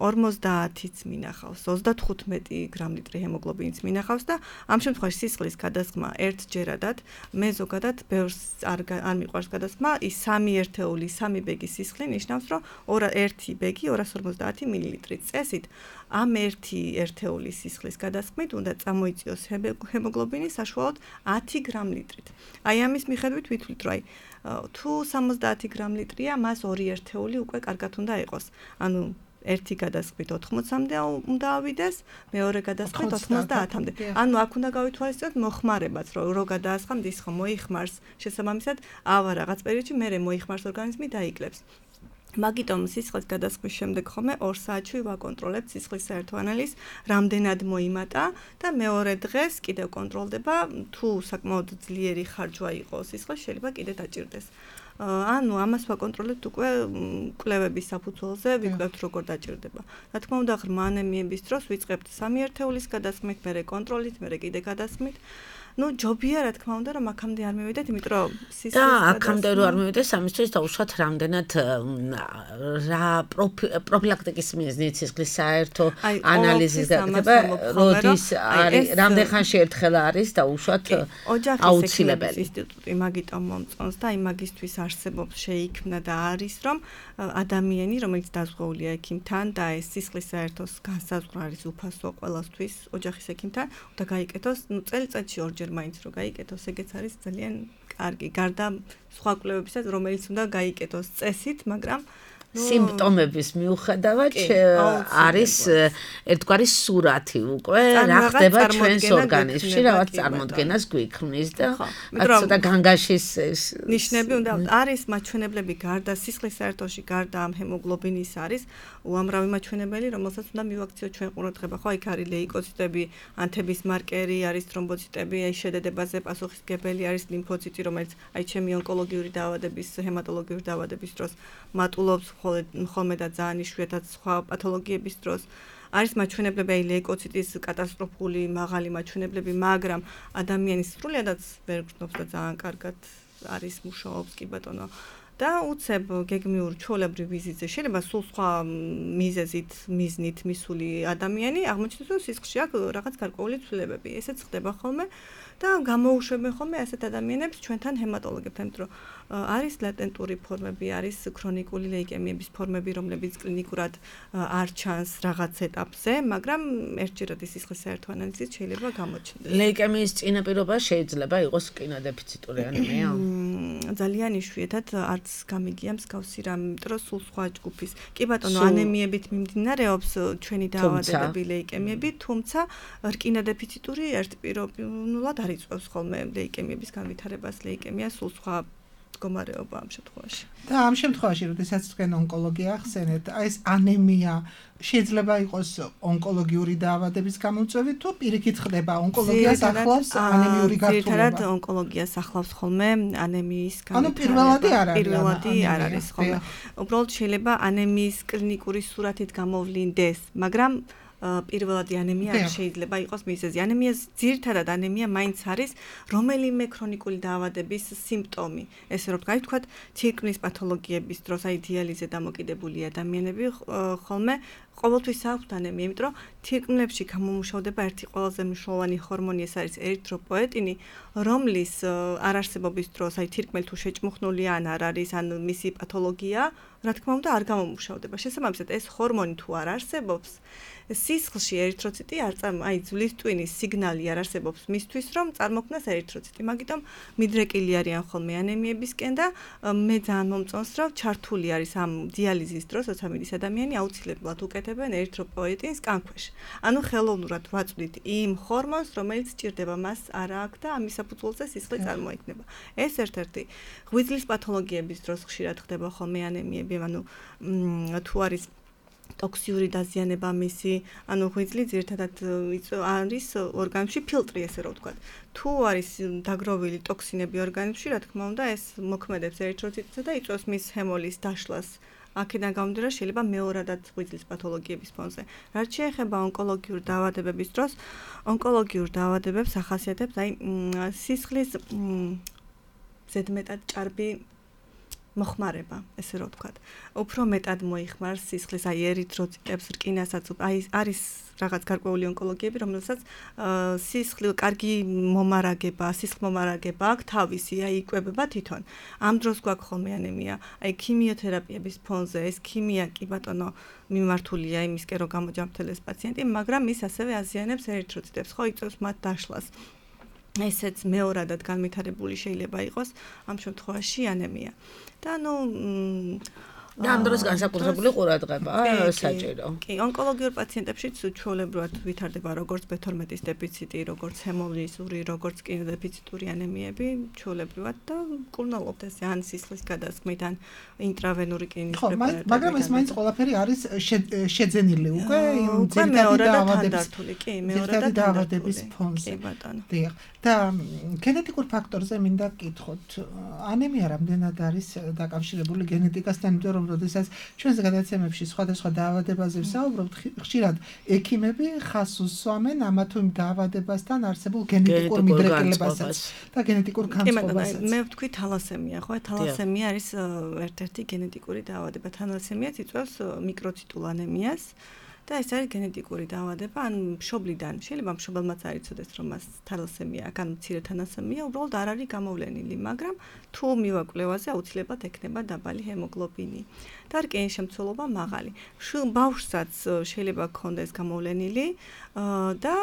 50-იც მინახავს, 35 გრამ-ლიტრი ჰემოგლობინიც მინახავს და ამ შემთხვევაში სისხლის გადასხმა ერთჯერადად, მე ზოგადად ბევრს არ მიყვარს გადასხმა, ის 3 ერთეული, 3 ბეგის სისხლი ნიშნავს, რომ 1 ბეგი 250 მილილიტრი წესით ამ 1 ერთეული სისხლის გადასხმით უნდა წამოიწიოს ჰემოგლობინი საშუალოდ 10 გრამ-ლიტრით. აი ამის მიხედვით ვითვლით, რომ თუ 70 გრამ-ლიტრია, მას 2 ერთეული უკვე კარგად უნდა იყოს. ანუ ერთი გადასხმით 80-მდე უნდა ავიდეს, მეორე გადასხმით 90-მდე. ანუ აქ უნდა გავითვალისწინოთ მოხმარებაც, რომ გადაასხამთ ის ხომ მოიხმარს, შესაბამისად, ავა რაღაც პერიოდში მერე მოიხმარს ორგანიზმი დაიკლებს. მაგიტომ სისხლის გადასხმის შემდეგ ხოლმე 2 საათში ვაკონტროლებთ სისხლის საერთო ანალიზს, რამდენად მოიმატა და მეორე დღეს კიდევ კონტროლდება, თუ საკმაოდ ძლიერი ხარჯვა იყო სისხლის, შეიძლება კიდე დაჭირდეს. ანუ ამას ვაკონტროლებთ უკვე კვლევების საფუძველზე, ვიკლებთ როგორ დაჭირდება. რა თქმა უნდა, ღრმა ანემიების დროს ვიწყებთ 3 ერთეულის გადასხმით, მერე კონტროლით, მერე კიდე გადასხმით. ჯობია რა თქმა უნდა რომ აქამდე არ მივიდეთ, იმიტომ რომ სისხლის და აქამდე რომ არ მივიდეს, ამისთვის დაუშვათ რამდენად რა პროფილაქტიკის მიზნით სისხლის საერთო ანალიზის გაკეთება, როდის არის, რამდენ ხანში ერთხელ არის დაუშვათ აუცილებელი. ინსტიტუტი მაგიტომ მომწონს და იმაგისთვის არსებობს, შეიქმნა და არის, რომ ადამიანი, რომელიც დაზღვეულია ექიმთან და ეს სისხლის საერთოს განსაზღვრა არის უფასო ყველასთვის ოჯახის ექიმთან, უნდა გაიკეთოს, წელიწადში 2 ჯერ მაინც რო გაიკეთოს, ეგეც არის ძალიან კარგი. გარდა სხვა კვლევებისა, რომელიც უნდა გაიკეთოს წესით, მაგრამ სიმპტომების მიუხედავად არის ერთგვარი სურათი უკვე რა ხდება ჩვენს ორგანიზმში, რაღაც წარმოდგენას გვიქმნის და ცოტა განგაშის ნიშნები უნდა არის მაჩვენებლები გარდა სისხლის საერთოში, გარდა ამ ჰემოგლობინის არის უამრავი მაჩვენებელი, რომელსაც უნდა მივაქციოთ ჩვენ ყურადღება. ხო, იქ არის ლეიკოციტები, ანთების მარკერი, არის თრომბოციტები, აი შედედებაზე პასუხისმგებელი არის ლიმფოციტი, რომელიც აი ჩემი ონკოლოგიური დაავადების, ჰემატოლოგიური დაავადების დროს მატულობს ხოლმე და ძალიან იშვიათად სხვა პათოლოგიების დროს. არის მაჩვენებლები აი ლეიკოციტის კატასტროფული მაღალი მაჩვენებლები, მაგრამ ადამიანის სრულიადაც ვერ გრძნობს და ძალიან კარგად არის მუშაობს კი ბატონო. და უცებ გეგმიურ ჩვეულებრივ ვიზიტზე შეიძლება სულ სხვა მიზნით მისული ადამიანი აღმოჩნდეს, რომ სისხლში აქვს რაღაც გარკვეული ცვლილებები. ესეც ხდება ხოლმე და გამოუშვებენ ხოლმე ასეთ ადამიანებს ჩვენთან ჰემატოლოგებთან, იმიტომ რომ არის ლატენტური ფორმები, არის ქრონიკული ლეიკემიების ფორმები, რომლებიც კლინიკურად არ ჩანს რაღაც ეტაპზე, მაგრამ ერთჯერადი სისხლის საერთო ანალიზით შეიძლება გამოჩნდეს. ლეიკემიის წინაპირობა შეიძლება იყოს კინოდეფიციტური ანემია? ძალიან იშვიათად არც გამიგია მსგავსი რამ, იმიტომ რომ სულ სხვა ჯგუფის. კი ბატონო, ანემიებით მიმდინარეობს ჩვენი დაავადებები ლეიკემიები, თუმცა რკინოდეფიციტური ერთპიროვნულად არ იწვევს ხოლმე ლეიკემიების განვითარებას, ლეიკემია სულ სხვა მდგომარეობა ამ შემთხვევაში. და ამ შემთხვევაში, როდესაც თქვენ ონკოლოგია ახსენეთ, აი ეს ანემია შეიძლება იყოს ონკოლოგიური დაავადების გამომწვევი თუ პირიქით ხდება ონკოლოგიას ახლავს ანემიური გართულება? ძირითადად ონკოლოგიას ახლავს ხოლმე ანემიის განვითარება. ანუ პირველადი არ არის ხოლმე. უბრალოდ შეიძლება ანემიის კლინიკური სურათით გამოვლინდეს, მაგრამ პირველადი ანემია არ შეიძლება იყოს მიზეზი. ანემიას ძირითადად ანემია მაინც არის რომელიმე ქრონიკული დაავადების სიმპტომი. ესე რომ ვთქვათ, თირკმლის პათოლოგიების დროს აი დიალიზზე დამოკიდებული ადამიანები ხოლმე ყოველთვის აქვთ ანემია, იმიტომ რომ თირკმლებში გამომუშავდება ერთი ყველაზე მნიშვნელოვანი ჰორმონი, ეს არის ერითროპოეტინი, რომლის არარსებობის დროს აი თირკმელი თუ შეჭმუხნული ან არ არის, ან მისი პათოლოგია რა თქმა უნდა არ გამომუშავდება. შესაბამისად ეს ჰორმონი თუ არ არსებობს, სისხლში ერითროციტი ძვლის ტვინის სიგნალი არ არსებობს მისთვის, რომ წარმოქმნას ერითროციტი. მაგიტომ მიდრეკილი არიან ხოლმე ანემიებისკენ და მე ძალიან მომწონს, რომ ჩართული არის ამ დიალიზის დროს, როცა მიდის ადამიანი, აუცილებლად უკეთებენ ერითროპოეტინს კანქვეშ. ანუ ხელოვნურად ვაწვდით იმ ჰორმონს, რომელიც სჭირდება, მას არა აქვს და ამის საფუძველზე სისხლი წარმოიქმნება. ეს ერთ-ერთი ღვიძლის პათოლოგიების დროს ხშირად ხდება ხოლმე ანემიები, ანუ თუ არის ტოქსიური დაზიანება მისი, ანუ ღვიძლი ძირითადად არის ორგანიზმში ფილტრი, ესე რომ ვთქვათ. თუ არის დაგროვილი ტოქსინები ორგანიზმში, რა თქმა უნდა, ეს მოქმედებს ერითროციტსა და იწვევს მის ჰემოლის დაშლას. აქედან გამომდინარე შეიძლება მეორადად ღვიძლის პათოლოგიების ფონზე. რაც შეეხება ონკოლოგიურ დაავადებების დროს, ონკოლოგიურ დაავადებებს ახასიათებს სისხლის ზედმეტად ჭარბი მოხმარება, ესე რომ ვთქვათ. უფრო მეტად მოიხმარს სისხლის ერითროციტებს, რკინასაც, არის რაღაც გარკვეული ონკოლოგიები, რომელსაც კარგი მომარაგება, სისხლმომარაგება აქვს თავისი, იკვებება თვითონ. ამ დროს გვაქვს ხოლმე ანემია. ქიმიოთერაპიების ფონზე ეს ქიმია კი ბატონო მიმართულია იმისკენ, რომ გამოჯამრთელდეს პაციენტი, მაგრამ ის ასევე აზიანებს ერითროციტებს, ხო იწვევს მათ დაშლას. ესეც მეორადად განვითარებული შეიძლება იყოს ამ შემთხვევაში ანემია. და და ამ დროს განსაკუთრებული ყურადღება საჭირო. კი, ონკოლოგიურ პაციენტებშიც ჩვეულებრივად ვითარდება როგორც B12-ის დეფიციტი, როგორც ჰემოლიზური, როგორც კინოდეფიციტური ანემიები, ჩვეულებრივად და მკურნალობდეს ან სისხლის გადასხმით, ან ინტრავენური კლინის პრეპარატებით. მაგრამ ეს მაინც ყველაფერი არის შეძენილი უკვე იმ ძირითადი დაავადების ფონზე. დიახ. და გენეტიკურ ფაქტორზე მინდა გკითხოთ, ანემია რამდენად არის დაკავშირებული გენეტიკასთან, იმიტომ რომ როდესაც ჩვენს გადაცემებში სხვადასხვა დაავადებაზე ვსაუბრობთ, ხშირად ექიმები ხაზს უსვამენ ამა თუ იმ დაავადებასთან არსებულ გენეტიკურ მიდრეკილებასაც და გენეტიკურ განწყობასაც. მე ვთქვი თალასემია, ხო? თალასემია არის ერთ-ერთი გენეტიკური დაავადება. თალასემიაც იწვევს მიკროციტულ ანემიას. და ეს არის გენეტიკური დაავადება, ან მშობლიდან. შეიძლება მშობელმაც არ იცოდეს, რომ მას თალასემია აქვს, ან მცირე თალასემია, უბრალოდ არ არის გამოვლენილი, მაგრამ თუ მივაკვლევაზე აუცილებლად ექნება დაბალი ჰემოგლობინი და რკინის შემცველობა მაღალი. ბავშვსაც შეიძლება ჰქონდეს გამოვლენილი და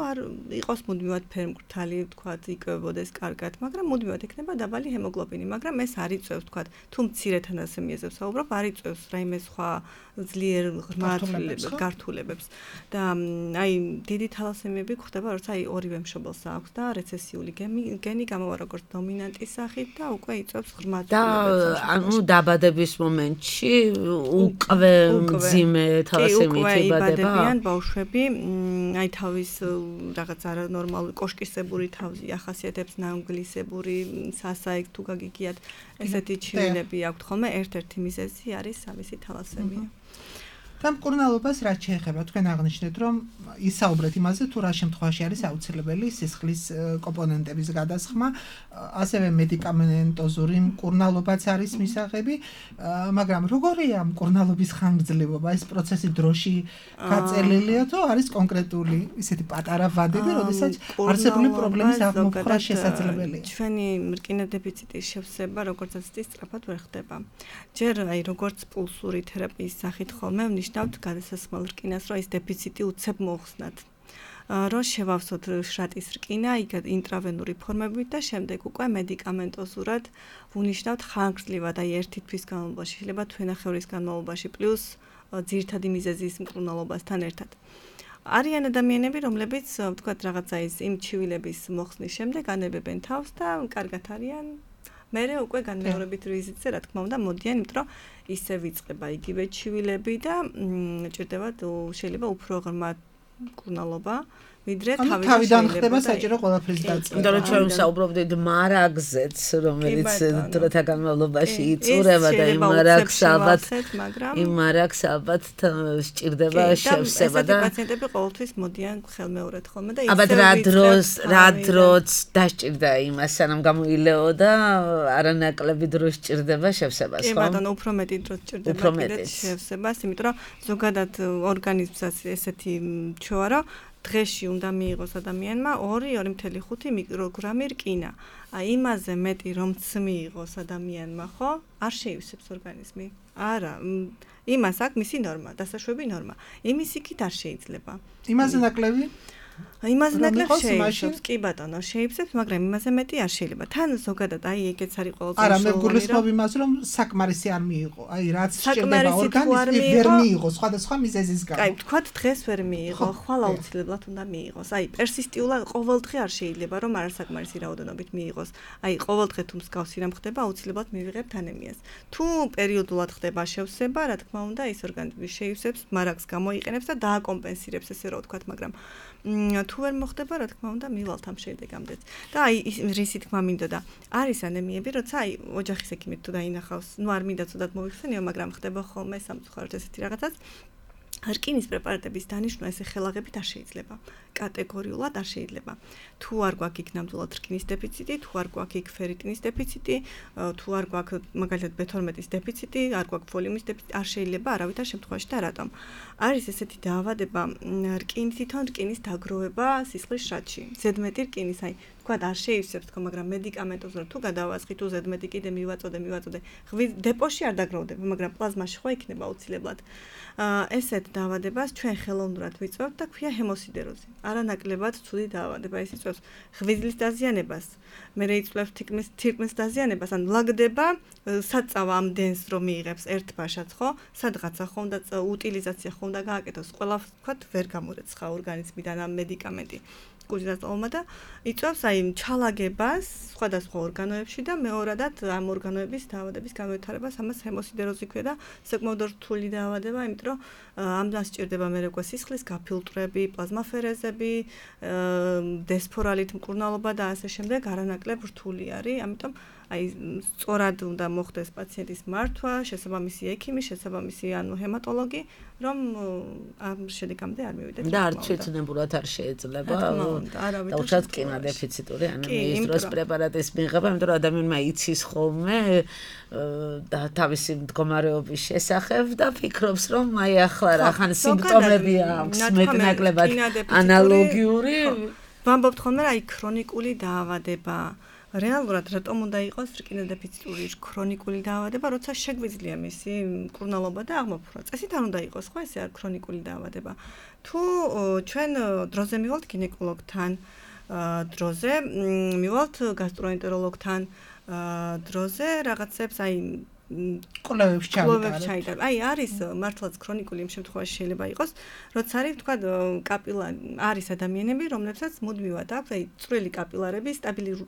არ იყოს მუდმივად ფერმკრთალი, ვთქვათ, იკვებებოდეს კარგად, მაგრამ მუდმივად ექნება დაბალი ჰემოგლობინი, მაგრამ ეს არ იწვევს, ვთქვათ, თუ მცირე თალასემიაზე ვსაუბრობ, არ იწვევს რაიმე სხვა ძლიერ ღრმა გართულებებს. და დიდი თალასემიები გვხდება, როცა ორივე მშობელს აქვს და რეცესიული გენი გამოვა როგორც დომინანტის სახით და უკვე იწვევს ღრმა თვალებს. და ანუ დაბადების მომენტში უკვე მძიმე თალასემიით იბადებიან ბავშვები, თავის რაღაც არანორმალური კოშკისებური თავი ახასიათებს, ნამგლისებური, სასაეგ თუ გაგიგიათ, ესეთი ჩივილები აქვთ ხოლმე, ერთ-ერთი მიზეზი არის ამისი თალასემია. და მკურნალობას რაც შეეხება, თქვენ აღნიშნეთ, რომ ისაუბრეთ იმაზე, თუ რა შემთხვევაში არის აუცილებელი სისხლის კომპონენტების გადასხმა, ასევე მედიკამენტოზური მკურნალობაც არის მისაღები, მაგრამ როგორია მკურნალობის ხანგრძლივობა? ეს პროცესი დროში გაწელილია თუ არის კონკრეტული ისეთი პატარა ვადები, როდესაც არსებული პრობლემის აღმოფხვრა შესაძლებელია? ჩვენი რკინოდეფიციტის შევსება, როგორცაც სწრაფად ვერ ხდება. ჯერ როგორც პულსური თერაპიის სახით ხოლმე ნიშნავთ გადასასხმელ რკინას, რომ ეს დეფიციტი უცებ მოხსნათ. რომ შევავსოთ შრატის რკინა, ინტრავენური ფორმებით და შემდეგ უკვე მედიკამენტოზურად ვუნიშნავთ ხანგრძლივად, ერთი თვის განმავლობაში, შეიძლება თვენახევრის განმავლობაში, პლუს ძირითადი მიზეზის მკურნალობასთან ერთად. არიან ადამიანები, რომლებიც, ვთქვათ, რაღაცა იმ ჩივილების მოხსნის შემდეგ ანებებენ თავს და კარგად არიან. მერე უკვე განმეორებით ვიზიტზე, რა თქმა უნდა, მოდიან, იმიტომ რომ ისე ვიწყება იგივე ჩივილები და ჭირდებათ შეიძლება უფრო ღრმა მკურნალობა, ვიდრე თავიდან ხდება საჭირო ყველაფრის დაწყება. იმიტომ რომ ჩვენ ვსაუბრობდით მარაგზეც, რომელიც დროთა განმავლობაში იწურება და იმ მარაგს ალბათ სჭირდება შევსება და პაციენტები ყოველთვის მოდიან ხელმეორედ ხოლმე და ისე რა დროს დასჭირდა იმას, სანამ გამოილეო და არანაკლები დრო სჭირდება შევსებას, ხო? ბატონო, უფრო მეტი დრო სჭირდება შევსებას, იმიტომ რომ ზოგადად ორგანიზმსაც ესეთი ჩვევა, რომ დღეში უნდა მიიღოს ადამიანმა 2.5 მიკროგრამი რკინა. აი იმაზე მეტი რომც მიიღოს ადამიანმა, ხო? არ შეივსებს ორგანიზმი. არა, იმას აქვს მისი ნორმა, დასაშვები ნორმა. იმის იქით არ შეიძლება. იმაზე ნაკლები? იმაზე ნაკლებ შეიცავს, კი ბატონო, შეიცავს, მაგრამ იმაზე მეტი არ შეიძლება. თან ზოგადად აი ეგეც არის ყველაზე არა, მე გულისხმობ იმას, რომ საკმარისი არ მიიღო. აი რაც შეიძლება ორგანიზმი ვერ მიიღო სხვადასხვა მიზეზის გამო. აი, თქვათ დღეს ვერ მიიღო, ხვალ აუცილებლად უნდა მიიღოს. აი, პერსისტიულად ყოველდღე არ შეიძლება, რომ არასაკმარისი რაოდენობით მიიღოს. აი, ყოველდღე თუ მსგავსი რამ ხდება, აუცილებლად მივიღებთ ანემიას. თუ პერიოდულად ხდება შევსება, რა თქმა უნდა, ის ორგანიზმი შეივსებს, მარაგს გამოიყენებს და დააკომპენსირებს, ესე რომ ვთქვათ, მაგრამ თუ ვერ მოხდება, რა თქმა უნდა, მივალთ ამ შედეგამდეც. და აი რისი თქმა მინდოდა, არის ანემიები, როცა აი ოჯახის ექიმით თუ დაინახავს, ნუ არ მინდა ცუდად მოვიხსენიო, მაგრამ ხდება ხოლმე სამწუხაროდ ესეთი რაღაცაც. რკინის პრეპარატების დანიშვნა ესე ხელაღებით არ შეიძლება. კატეგორიულად არ შეიძლება. თუ არ გვაქვს იქ ნამდვილად რკინის დეფიციტი, თუ არ გვაქვს იქ ფერიტინის დეფიციტი, თუ არ გვაქვს მაგალითად B12-ის დეფიციტი, არ გვაქვს ფოლიუმის დეფიციტი, არ შეიძლება არავითარ შემთხვევაში და რატომ? არის ესეთი დაავადება, თვითონ რკინის დაგროვება სისხლის შრატში. ზედმეტი რკინის, აი, თქვათ არ შეივსებს თქო, მაგრამ მედიკამენტოზად თუ გადავასხი, თუ ზედმეტი კიდე მივაწოდე. დეპოში არ დაგროვდება, მაგრამ პლაზმაში ხო იქნება აუცილებლად. ესეთ დაავადებას ჩვენ ხელოვნურად ვიწვევთ და ქვია ჰემოსიდეროზი. არანაკლებად ცუდი დაავადება, ეს იწვევს ღვიძლის დაზიანებას, მერე იწვევს თირკმლის დაზიანებას, ან ლაგდება საწავა ამ დენს რომ მიიღებს ერთ ბაშად, ხო? სადღაცა ხომ და უტილიზაცია ხომ და გააკეთოს, ყველა ვთქვათ ვერ გამორეცხა ორგანიზმიდან ამ მედიკამენტი. კუზინასტოლმა და იწვევს აი ჩალაგებას სხვადასხვა ორგანოებში და მეორადად ამ ორგანოების დაავადების განვითარებას, ამას ჰემოსიდეროზი ქვია და საკმაოდ რთული დაავადება, იმიტომ რომ ამას სჭირდება მერე სისხლის გაფილტრები, პლაზმაფერეზები, დესფორალით მკურნალობა და ასე შემდეგ, არანაკლებ რთული არის, ამიტომ აი სწორად უნდა მოხდეს პაციენტის მართვა, შესაბამისი ექიმი, შესაბამისი ანუ ჰემატოლოგი, რომ ამ შედეგამდე არ მივიდეთ. და არც შეცნებურად არ შეიძლება. და უშუალოდ რკინა დეფიციტური ანემიის დროს პრეპარატის მიღება, იმიტომ რომ ადამიანმა იცის ხოლმე და თავისი მდგომარეობის შესახებ და ფიქრობს, რომ აი ახლა რახან სიმპტომები აქვს მეტნაკლებად ანალოგიური. ვამბობთ ხოლმე, აი ქრონიკული დაავადება. რეალურად რატომ უნდა იყოს რკინა დეფიციტური ქრონიკული დაავადება, როცა შეგვიძლია მისი მკურნალობა და აღმოფხვრა. წესით არ უნდა იყოს, ხო, ესე არ ქრონიკული დაავადება. თუ ჩვენ დროზე მივალთ გინეკოლოგთან, დროზე მივალთ გასტროენტეროლოგთან, დროზე რაღაცებს აი კვლევებში ჩაიტარებთ. აი არის მართლაც ქრონიკული იმ შემთხვევაში შეიძლება იყოს, როცა არის თქვა არის ადამიანები, რომლებსაც მუდმივად აქვს აი წვრილი კაპილარები,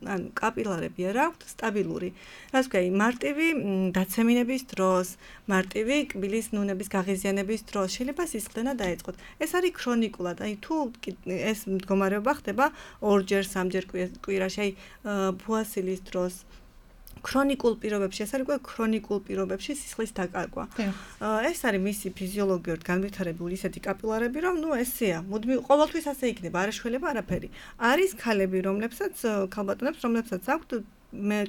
ანუ კაპილარები არ აქვთ სტაბილური. რაც ვქო, აი მარტივი დაცემინების დროს, მარტივი კბილის ნუნების გაღიზიანების დროს შეიძლება სისხლდენა დაეწყოთ. ეს არის ქრონიკულად. აი თუ ეს მდგომარეობა ხდება 2-ჯერ, 3-ჯერ კვირაში, აი ბუასილის დროს ქრონიკულ პირობებში, ეს არის ქრონიკულ პირობებში სისხლის დაკარგვა. ეს არის მისი ფიზიოლოგიურად განვითარებული ისეთი კაპილარები, რომ ნუ ესეა, მუდმივ ყოველთვის ასე იქნება, არ ეშველება არაფერი. არის ქალები, ქალბატონებს, რომლებსაც აქვთ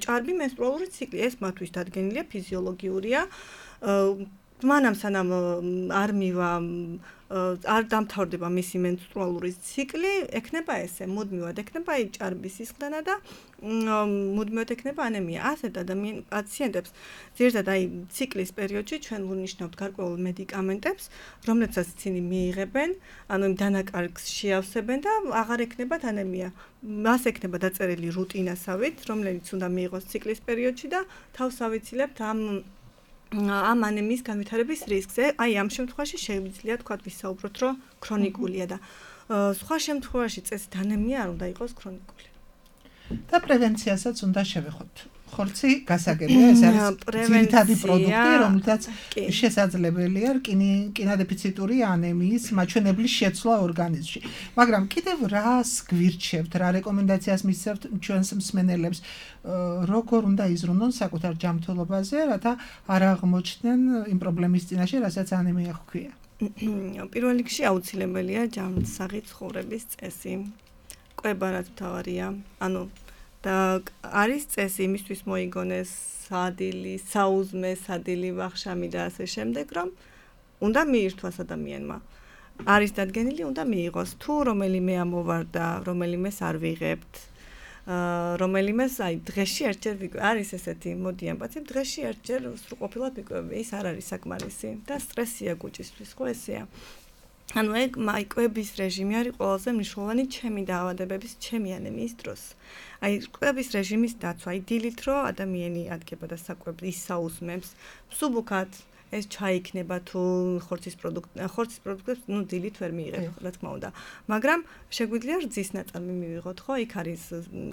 ჭარბი მენსტრუალური ციკლი, ეს მათთვის დადგენილია, ფიზიოლოგიურია. მანამ სანამ არ მივა არ დამთავრდება მისი მენსტრუალური ციკლი, ექნება ესე, მუდმივად ექნება აი ჭარბის სისხლდენა და მუდმივად ექნება ანემია. ასეთ პაციენტებს ძირითადად აი ციკლის პერიოდში ჩვენ ვუნიშნავთ გარკვეულ მედიკამენტებს, რომლებსაც ისინი მიიღებენ, ანუ იმ დანაკარგს შეავსებენ და აღარ ექნებათ ანემია. მას ექნება დაწერილი რუტინასავით, რომელიც უნდა მიიღოს ციკლის პერიოდში და თავს ავიცილებთ ამ ანემიის განვითარების რისკზე. აი ამ შემთხვევაში შეგვიძლია თქვა ვისაუბროთ, რომ ქრონიკულია და სხვა შემთხვევაში წესით ანემია არ უნდა იყოს ქრონიკული. და პრევენციასაც უნდა შევეხოთ. ხორცი გასაგებია, ეს არის ძირითადი პროდუქტი, რომელთაც შესაძლებელია რკინა დეფიციტური ანემიის მაჩვენებლის შეცვლა ორგანიზმში. მაგრამ კიდევ რას გვირჩევთ, რა რეკომენდაციას მისცემთ ჩვენს მსმენელებს, როგორ უნდა იზრუნონ საკუთარ ჯანმრთელობაზე, რათა არ აღმოჩნდნენ იმ პრობლემის წინაშე, რასაც ანემია ჰქვია. პირველ რიგში აუცილებელია ჯანმრთელი ცხოვრების წესი. კვება რაც მთავარია, ანუ და არის წესი იმისთვის მოიგონეს სადილი, საუზმე, სადილი, ვახშამი და ასე შემდეგ, რომ უნდა მიირთვას ადამიანმა. არის დადგენილი, უნდა მიიღოს. თუ რომელიმე ამოვარდა, რომელიმეს არ ვიღებთ, რომელიმეს აი დღეში ერთჯერ არის ესეთი მოდი ამბაცი, დღეში ერთჯერ სრულყოფილად ვიკვები, ის არ არის საკმარისი და სტრესია გუჭისთვის, ხო ესეა. ანუ ეგ კვების რეჟიმი არის ყველაზე მნიშვნელოვანი ჩემი დაავადებების, ჩემი ანემიის დროს. აი კვების რეჟიმის დაცვა, აი დილით რო ადამიანი ადგება და საკვებს ისაუსმებს, მსუბუქად ეს ჩაიქნება თუ ხორცის პროდუქტებს, ნუ დილით ვერ მიიღებ, რა თქმა უნდა. მაგრამ შეგვიძლია რძის ნაწარმი მივიღოთ, ხო? იქ არის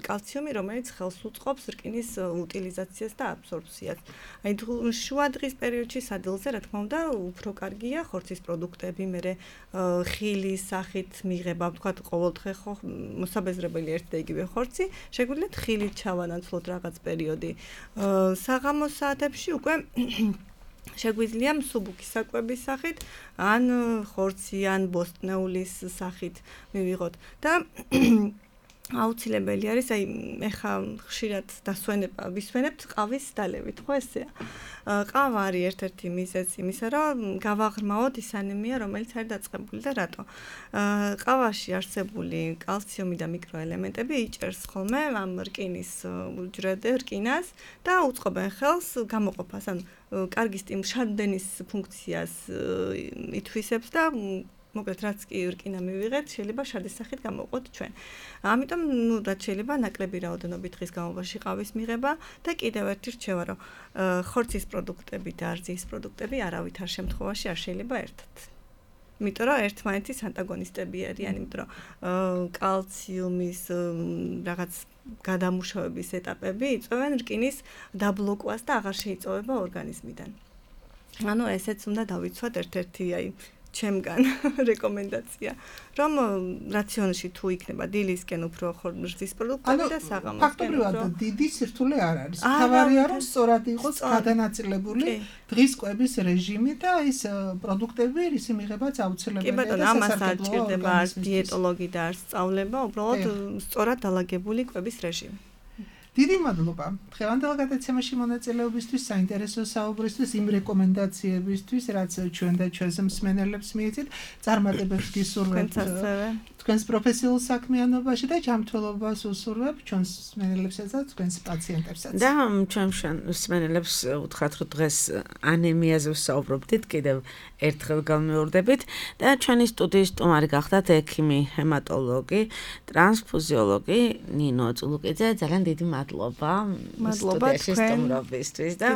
კალციუმი, რომელიც ხელს უწყობს რკინის უტილიზაციას და აბსორბციას. აი შუა დღის პერიოდში სადილზე, რა თქმა უნდა, უფრო კარგია ხორცის პროდუქტები, მერე ხილის სახით მიღება, ვთქვათ, ყოველდღე ხო მოსაბეზრებელი ერთ და იგივე ხორცი, შეგვიძლია ხილით ჩავანაცვლოთ რაღაც პერიოდი. საღამოს საათებში უკვე შეგვიძლია მსუბუქი საკვების სახით, ან ხორცი, ან ბოსტნეულის სახით მივიღოთ და აუცილებელი არის, აი ეხა ხშირად ვისვენებთ ყავის დალევით, ხო ესეა. ყავა არის ერთ-ერთი მიზეზი იმისა, რომ გავაღრმაოთ ის ანემია, რომელიც არის დაწყებული და რატო? ყავაში არსებული კალციუმი და მიკროელემენტები იჭერს ხოლმე ამ რკინის რკინას და უწყობენ ხელს გამოყოფას, ანუ კარგი შადდენის ფუნქციას ითვისებს და მოკლედ რაც კი რკინა მივიღეთ, შეიძლება შარდის სახით გამოვყოთ ჩვენ. ამიტომ რაც შეიძლება ნაკლები რაოდენობით დღის განმავლობაში ყავის მიღება და კიდევ ერთი რჩევა, რომ ხორცის პროდუქტები და რძის პროდუქტები არავითარ შემთხვევაში არ შეიძლება ერთად. იმიტომ რომ ერთმანეთის ანტაგონისტები არიან, იმიტომ რომ კალციუმის რაღაც გადამუშავების ეტაპები იწვევენ რკინის დაბლოკვას და აღარ შეიწოვება ორგანიზმიდან. ანუ ესეც უნდა დავიცვათ ერთ-ერთი აი ჩემგან რეკომენდაცია, რომ რაციონში თუ იქნება დილისკენ უფრო რძის პროდუქტები და საღამოსკენ. ფაქტობრივად დიდი სირთულე არ არის. თავარია რომ სწორად იყოს გადანაწილებული დღის კვების რეჟიმი და ის პროდუქტები, ისი მიღებაც აუცილებელია. კი ბატონო, ამას არ ჭირდება არც დიეტოლოგი და არც სწავლება, უბრალოდ სწორად დალაგებული კვების რეჟიმი. დიდი მადლობა. დღევანდელ გადაცემაში მონაწილეობისთვის, საინტერესო საუბრისთვის, იმ რეკომენდაციებისთვის, რაც ჩვენ და ჩვენს მსმენელებს მიეცით, წარმატებებს გისურვებთ თქვენს პროფესიულ საქმიანობაში და ჯანმრთელობას უსურვებ ჩვენს მსმენელებსა და თქვენს პაციენტებსაც. და ჩვენ მსმენელებს უთხრათ, რომ დღეს ანემიაზე ვსაუბრობდით, კიდევ ერთხელ გამეორდებით და ჩვენი სტუდიის სტუმარი გახდათ ექიმი, ჰემატოლოგი, ტრანსფუზიოლოგი ნინო წულუკიძე. ძალიან დიდი მადლობა სტუდიაში სტუმრობისთვის და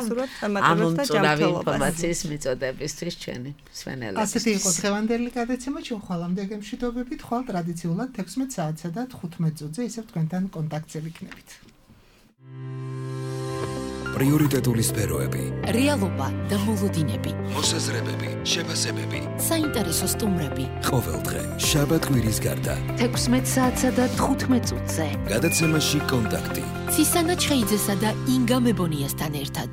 ამომწურავი ინფორმაციის მიწოდებისთვის ჩვენი მსმენელებს. ასეთი იყო დღევანდელი გადაცემა, ჩვენ ხვალამდე გემშვიდობებით, ხვალ ტრადიციულად 16 საათსა და 15 წუთზე ისევ თქვენთან კონტაქტზე ვიქნებით. პრიორიტეტული სფეროები, რეალობა და მოლოდინები, მოსაზრებები, შეფასებები, საინტერესო სტუმრები. ყოველდღე შაბათ-კვირის გარდა 16 საათსა და 15 წუთზე. გადაცემაში კონტაქტი. ცისანა ჩხეიძესა და ინგა მებონიასთან ერთად.